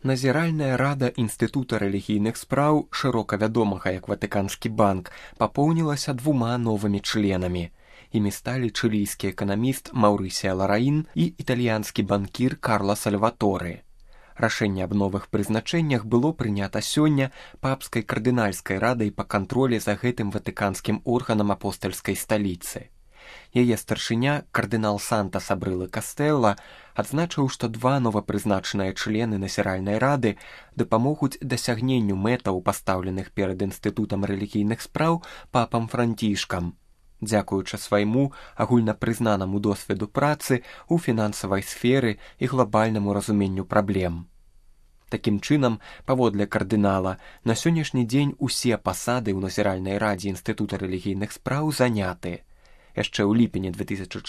Назіральная рада Інстытута рэлігійных спраў, шырока вядомага як Ватыканскі банк, папоўнілася 2 новымі членамі. Імі сталі чылійскі эканаміст Маўрысія Лараін і італьянскі банкір Карла Сальваторы. Рашэнне аб новых прызначэннях было прынята сёння папскай кардынальскай радай па кантролі за гэтым ватыканскім органам апостальскай сталіцы. Яе старшыня, кардынал Санта Сабрылы Кастэлла, адзначыў, што 2 новапрызначаныя члены назіральнай рады дапамогуць дасягненню мэтаў, пастаўленых перад Інстытутам рэлігійных спраў папам Францішкам. Дзякуючы свайму агульнапрызнанаму досведу працы ў фінансавай сферы і глобальнаму разуменню праблем. Такім чынам, паводле кардынала, на сённяшні дзень усе пасады ў назіральнай радзе Інстытута рэлігійных спраў заняты. Яшчэ ў ліпені 2014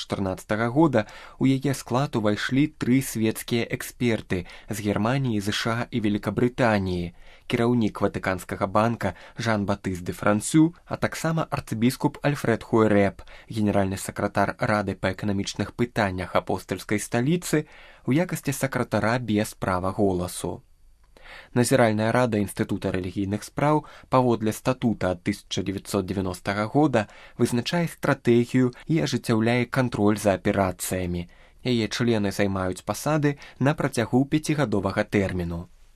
года у яе склад увайшлі 3 свецкія эксперты з Германіі, ЗША і Великабрытаніі, кіраўнік Ватыканскага банка Жан-Батыст де Франсю, а таксама арцыбіскуп Альфред Хуэрэп, генеральны сакратар Рады па эканамічных пытаннях апостальскай сталіцы, у якасці сакратара без права голасу. Назіральная рада Інстытута рэлігійных спраў паводле статута ад 1990 года вызначае стратэгію і ажыццяўляе кантроль за аперацыямі. Яе члены займаюць пасады на працягу 5-гадовага тэрміну.